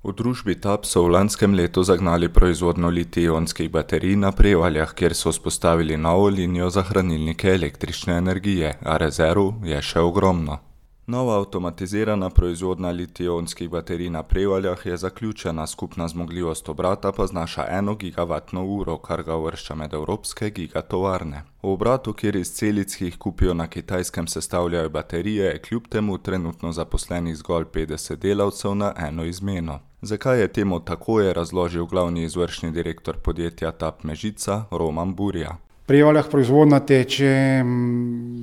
V družbi TAP so v lanskem letu zagnali proizvodnjo litij-ionskih baterij na Prevaljah, kjer so vzpostavili novo linijo za hranilnike električne energije, a rezerv je še ogromno. Nova avtomatizirana proizvodnja litij-ionskih baterij na Prevaljah je zaključena, skupna zmogljivost obrata pa znaša 1 gigavatno uro, kar ga uvršča med evropske gigatovarne. V obratu, kjer iz celic, ki jih kupijo na Kitajskem, sestavljajo baterije, je kljub temu trenutno zaposlenih zgolj 50 delavcev na eno izmeno. Zakaj je temu tako, je razložil glavni izvršni direktor podjetja TAP Mežica Roman Burja. V Prevaljah proizvodnja teče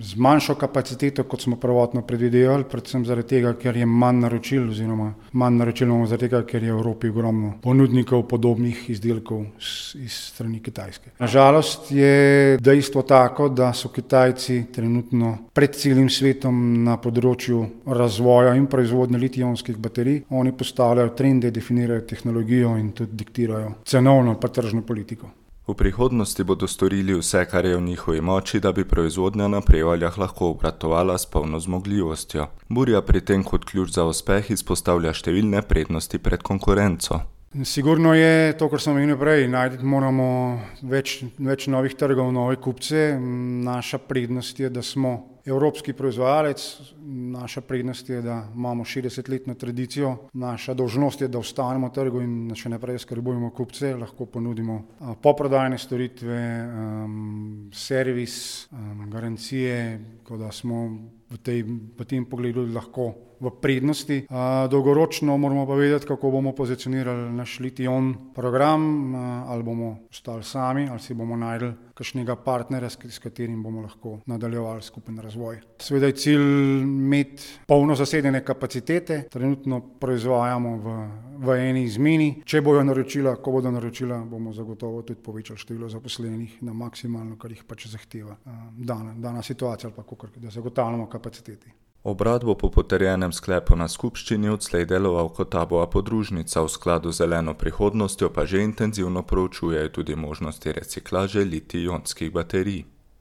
z manjšo kapaciteto, kot smo prvotno predvidevali, predvsem zaradi tega, ker je manj naročil, oziroma manj naročil imamo zaradi tega, ker je v Evropi ogromno ponudnikov podobnih izdelkov iz strani Kitajske. Na žalost je dejstvo tako, da so Kitajci trenutno pred celim svetom na področju razvoja in proizvodnje litij-ionskih baterij. Oni postavljajo trende, definirajo tehnologijo in tudi diktirajo cenovno pa tržno politiko. V prihodnosti bodo storili vse, kar je v njihovi moči, da bi proizvodnja na Prevaljah lahko obratovala s polno zmogljivostjo. Burja pri tem kot ključ za uspeh izpostavlja številne prednosti pred konkurenco. Sigurno je to, kar sem omenil prej, najti moramo več novih trgov, nove kupce. Naša prednost je, da smo evropski proizvajalec, naša prednost je, da imamo 60-letno tradicijo, naša dolžnost je, da ostanemo na trgu in še naprej skrbujemo kupce, lahko ponudimo poprodajne storitve, servis, garancije, tako da smo v tem pogledu lahko v prednosti. Dolgoročno moramo pa vedeti, kako bomo pozicionirali naš litij-ion program, ali bomo ostali sami, ali si bomo našli kakšnega partnerja, s katerim bomo lahko nadaljevali skupen razvoj. Seveda je cilj imeti polno zasedene kapacitete, trenutno proizvajamo v eni izmeni. Če bodo naročila, ko bodo naročila, bomo zagotovo tudi povečali število zaposlenih na maksimalno, kar jih pač zahteva dana situacija ali pa kakor, da zagotavljamo kapaciteti. Obrat bo po potrjenem sklepu na skupščini odslej deloval kot TAP-ova podružnica, v skladu z zeleno prihodnostjo pa že intenzivno proučujejo tudi možnosti reciklaže litij-ionskih baterij.